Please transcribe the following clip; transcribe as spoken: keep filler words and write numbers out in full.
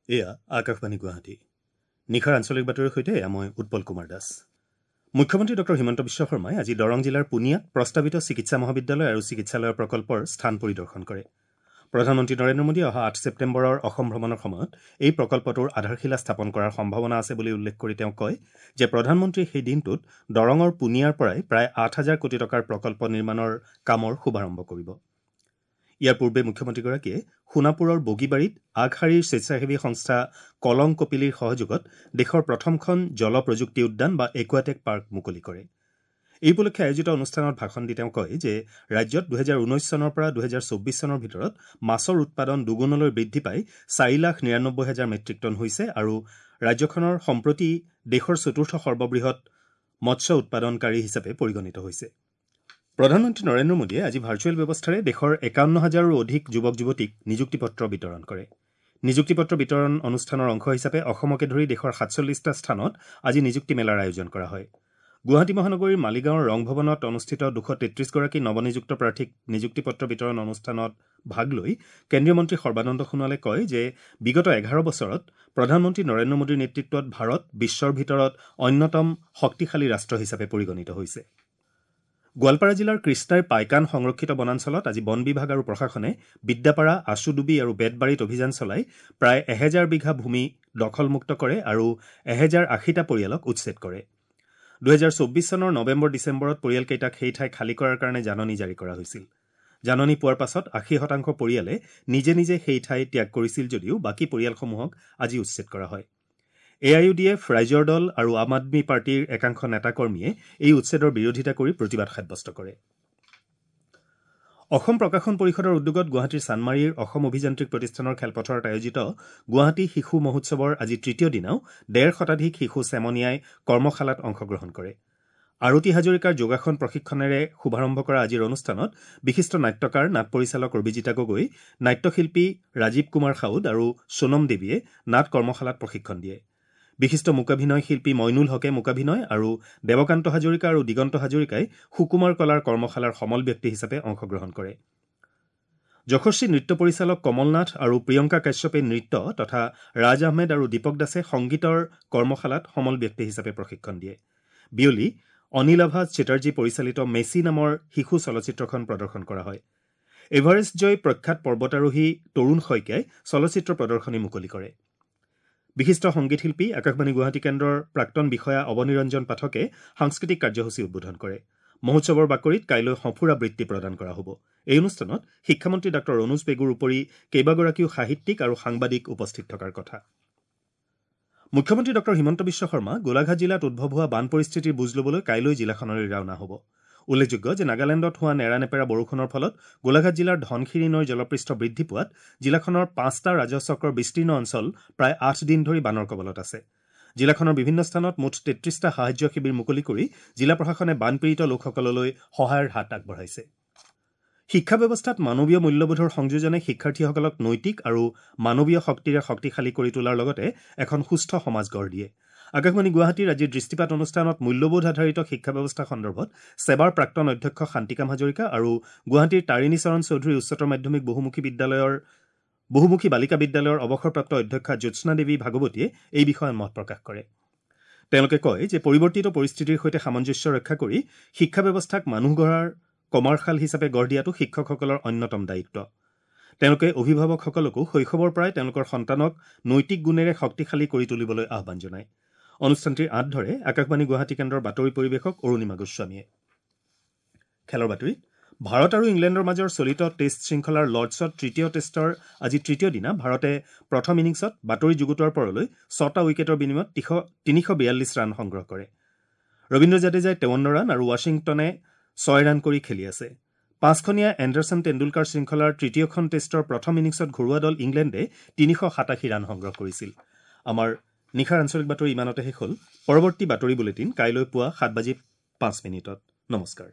এয়া আকাশবাণী গুৱাহাটী। নিশাৰ আঞ্চলিক বাতৰিৰ সৈতে এয়া মই উৎপল কুমাৰ দাস। মুখ্যমন্ত্ৰী ডক্টৰ হিমন্ত বিশ্ব শৰ্মাই আজি দৰং জিলাৰ পুনিয়াত প্ৰস্তাৱিত চিকিৎসা মহাবিদ্যালয় আৰু চিকিৎসালয়ৰ প্ৰকল্পৰ স্থান পৰিদৰ্শন কৰে। প্ৰধানমন্ত্ৰী নৰেন্দ্ৰ মোদীয়ে অহা আঠ ছেপ্টেম্বৰৰ অসম ভ্ৰমণৰ সময়ত এই প্ৰকল্পটোৰ আধাৰশিলা স্থাপন কৰাৰ সম্ভাৱনা আছে বুলি উল্লেখ কৰি তেওঁ কয় যে প্ৰধানমন্ত্ৰীয়ে সেই দিনটোত দৰঙৰ পুনিয়াৰ পৰাই প্ৰায় আঠ হাজাৰ কোটি টকাৰ প্ৰকল্প নিৰ্মাণৰ কামৰ শুভাৰম্ভ কৰিব। ইয়াৰ পূৰ্বে মুখ্যমন্ত্ৰীগৰাকীয়ে সোণাপুৰৰ বগীবাৰীত আগশাৰীৰ স্বেচ্ছাসেৱী সংস্থা কলং কপিলীৰ সহযোগত দেশৰ প্ৰথমখন জল প্ৰযুক্তি উদ্যান বা একুৱাটেক পাৰ্ক মুকলি কৰে। এই উপলক্ষে আয়োজিত অনুষ্ঠানত ভাষণ দি তেওঁ কয় যে ৰাজ্যত দুহেজাৰ ঊনৈছ চনৰ পৰা দুহেজাৰ চৌব্বিছ চনৰ ভিতৰত মাছৰ উৎপাদন দুগুণলৈ বৃদ্ধি পাই চাৰি লাখ নিৰানব্বৈ হাজাৰ মেট্ৰিক টন হৈছে আৰু ৰাজ্যখনৰ সম্প্ৰতি দেশৰ চতুৰ্থ সৰ্ববৃহৎ মৎস্য উৎপাদনকাৰী হিচাপে পৰিগণিত হৈছে। প্ৰধানমন্ত্ৰী নৰেন্দ্ৰ মোদীয়ে আজি ভাৰ্চুৱেল ব্যৱস্থাৰে দেশৰ একাৱন্ন হাজাৰৰো অধিক যুৱক যুৱতীক নিযুক্তি পত্ৰ বিতৰণ কৰে। নিযুক্তি পত্ৰ বিতৰণ অনুষ্ঠানৰ অংশ হিচাপে অসমকে ধৰি দেশৰ সাতচল্লিছটা স্থানত আজি নিযুক্তি মেলাৰ আয়োজন কৰা হয়। গুৱাহাটী মহানগৰীৰ মালিগাঁৱৰ ৰংভৱনত অনুষ্ঠিত দুশ তেত্ৰিছগৰাকী নৱনিযুক্ত প্ৰাৰ্থীক নিযুক্তি পত্ৰ বিতৰণ অনুষ্ঠানত ভাগ লৈ কেন্দ্ৰীয় মন্ত্ৰী সৰ্বানন্দ সোণোৱালে কয় যে বিগত এঘাৰ বছৰত প্ৰধানমন্ত্ৰী নৰেন্দ্ৰ মোদীৰ নেতৃত্বত ভাৰত বিশ্বৰ ভিতৰত অন্যতম শক্তিশালী ৰাষ্ট্ৰ হিচাপে পৰিগণিত হৈছে। গোৱালপাৰা জিলাৰ কৃষ্ণাইৰ পাইকান সংৰক্ষিত বনাঞ্চলত আজি বন বিভাগ আৰু প্ৰশাসনে বিদ্যাপাৰা, আচুডুবি আৰু বেতবাৰীত অভিযান চলাই প্ৰায় এহেজাৰ বিঘা ভূমি দখলমুক্ত কৰে আৰু এহেজাৰ আশীটা পৰিয়ালক উচ্ছেদ কৰে। দুহেজাৰ চৌব্বিছ চনৰ নৱেম্বৰ ডিচেম্বৰত পৰিয়ালকেইটাক সেই ঠাই খালী কৰাৰ কাৰণে জাননী জাৰি কৰা হৈছিল। জাননী পোৱাৰ পাছত আশী শতাংশ পৰিয়ালে নিজে নিজে সেই ঠাই ত্যাগ কৰিছিল যদিও বাকী পৰিয়ালসমূহক আজি উচ্ছেদ কৰা হয়। এ I U D F, ৰাইজৰ দল আৰু আম আদমী পাৰ্টীৰ একাংশ নেতাকৰ্মীয়ে এই উচ্ছেদৰ বিৰোধিতা কৰি প্ৰতিবাদ সাব্যস্ত কৰে। অসম প্ৰকাশন পৰিষদৰ উদ্যোগত গুৱাহাটীৰ চানমাৰীৰ অসম অভিযান্ত্ৰিক প্ৰতিষ্ঠানৰ খেলপথাৰত আয়োজিত গুৱাহাটী শিশু মহোৎসৱৰ আজি তৃতীয় দিনাও ডেৰ শতাধিক শিশু চেমনীয়াই কৰ্মশালাত অংশগ্ৰহণ কৰে। আৰতি হাজৰিকাৰ যোগাসন প্ৰশিক্ষণেৰে শুভাৰম্ভ কৰা আজিৰ অনুষ্ঠানত বিশিষ্ট নাট্যকাৰ, নাট পৰিচালক অভিজিতা গগৈ, নাট্যশিল্পী ৰাজীৱ কুমাৰ সাউদ আৰু সোণম দেৱীয়ে নাট কৰ্মশালাত প্ৰশিক্ষণ দিয়ে। বিশিষ্ট মূকাভিনয় শিল্পী মইনুল হকে মূকাভিনয় আৰু দেৱকান্ত হাজৰিকা আৰু দিগন্ত হাজৰিকাই সুকুমাৰ কলাৰ কৰ্মশালাৰ সমল ব্যক্তি হিচাপে অংশগ্ৰহণ কৰে। যশস্বী নৃত্য পৰিচালক কমল নাথ আৰু প্ৰিয়ংকা কাশ্যপে নৃত্য তথা ৰাজ আহমেদ আৰু দীপক দাসে সংগীতৰ কৰ্মশালাত সমল ব্যক্তি হিচাপে প্ৰশিক্ষণ দিয়ে। বিয়লি অনিলাভা চেটাৰ্জী পৰিচালিত মেচি নামৰ শিশু চলচ্চিত্ৰখন প্ৰদৰ্শন কৰা হয়। এভাৰেষ্ট জয়ী প্ৰখ্যাত পৰ্বতাৰোহী তৰুণ শইকীয়াই চলচ্চিত্ৰ প্ৰদৰ্শনী মুকলি কৰে। বিশিষ্ট সংগীত শিল্পী আকাশবাণী গুৱাহাটী কেন্দ্ৰৰ প্ৰাক্তন বিষয়া অৱনীৰঞ্জন পাঠকে সাংস্কৃতিক কাৰ্যসূচী উদ্বোধন কৰে। মহোৎসৱৰ বাকৰিত কাইলৈ সঁফুৰা বৃত্তি প্ৰদান কৰা হ'ব। এই অনুষ্ঠানত শিক্ষামন্ত্ৰী ডাঃ অনুজ পেগুৰ উপৰি কেইবাগৰাকীও সাহিত্যিক আৰু সাংবাদিক উপস্থিত থকাৰ কথা। মুখ্যমন্ত্ৰী ডঃ হিমন্ত বিশ্ব শৰ্মা গোলাঘাট জিলাত উদ্ভৱ হোৱা বান পৰিস্থিতিৰ বুজ ল'বলৈ কাইলৈ জিলাখনলৈ ৰাওনা হ'ব। উল্লেখযোগ্য যে নাগালেণ্ডত হোৱা নেৰানেপেৰা বৰষুণৰ ফলত গোলাঘাট জিলাৰ ধনশিৰি নৈৰ জলপৃষ্ঠ বৃদ্ধি পোৱাত জিলাখনৰ পাঁচটা ৰাজহ চক্ৰৰ বিস্তীৰ্ণ অঞ্চল প্ৰায় আঠ দিন ধৰি বানৰ কবলত আছে। জিলাখনৰ বিভিন্ন স্থানত মুঠ তেত্ৰিছটা সাহায্য শিবিৰ মুকলি কৰি জিলা প্ৰশাসনে বানপীড়িত লোকসকললৈ সহায়ৰ হাত আগবঢ়াইছে। শিক্ষা ব্যৱস্থাত মানৱীয় মূল্যবোধৰ সংযোজনে শিক্ষাৰ্থীসকলক নৈতিক আৰু মানৱীয় শক্তিৰে শক্তিশালী কৰি তোলাৰ লগতে এখন সুস্থ সমাজ গঢ় দিয়ে। আকাশবাণী গুৱাহাটীৰ আজিৰ দৃষ্টিপাত অনুষ্ঠানত মূল্যবোধ আধাৰিত শিক্ষা ব্যৱস্থা সন্দৰ্ভত ছেবাৰ প্ৰাক্তন অধ্যক্ষ শান্তিকাম হাজৰিকা আৰু গুৱাহাটীৰ তাৰিণী চৰণ চৌধুৰী উচ্চতৰ মাধ্যমিক বহুমুখী বিদ্যালয়ৰ বহুমুখী বালিকা বিদ্যালয়ৰ অৱসৰপ্ৰাপ্ত অধ্যক্ষা জ্যোৎস্না দেৱী ভাগৱতীয়ে এই বিষয়ে মত প্ৰকাশ কৰে। তেওঁলোকে কয় যে পৰিৱৰ্তিত পৰিস্থিতিৰ সৈতে সামঞ্জস্য ৰক্ষা কৰি শিক্ষা ব্যৱস্থাক মানুহ গঢ়াৰ কমাৰশাল হিচাপে গঢ় দিয়াটো শিক্ষকসকলৰ অন্যতম দায়িত্ব। তেওঁলোকে অভিভাৱকসকলকো শৈশৱৰ পৰাই তেওঁলোকৰ সন্তানক নৈতিক গুণেৰে শক্তিশালী কৰি তুলিবলৈ আহ্বান জনায়। অনুষ্ঠানটিৰ আঁত ধৰে আকাশবাণী গুৱাহাটী কেন্দ্ৰৰ বাতৰি পৰিৱেশক অৰুণিমা গোস্বামীয়ে। খেলৰ বাতৰি। ভাৰত আৰু ইংলেণ্ডৰ মাজৰ চলিত টেষ্ট শৃংখলাৰ লৰ্ডছত তৃতীয় টেষ্টৰ আজি তৃতীয় দিনা ভাৰতে প্ৰথম ইনিংছত বাতৰি যুগুতোৱাৰ পৰলৈ ছটা উইকেটৰ বিনিময়ত তিনিশ বিয়াল্লিছ ৰান সংগ্ৰহ কৰে। ৰবীন্দ্ৰ জাদেজাই তেৱন্ন ৰান আৰু ৱাশ্বিংটনে ছয় ৰান কৰি খেলি আছে। পাঁচখনীয়া এণ্ডাৰছন টেণ্ডুলকাৰ শৃংখলাৰ তৃতীয়খন টেষ্টৰ প্ৰথম ইনিংছত ঘৰুৱা দল ইংলেণ্ডে তিনিশ সাতাশী ৰান সংগ্ৰহ কৰিছিল। আমাৰ নিশাৰ আঞ্চলিক বাতৰি ইমানতে শেষ হ'ল। পৰৱৰ্তী বাতৰি বুলেটিন কাইলৈ পুৱা সাত বাজি পাঁচ মিনিটত। নমস্কাৰ।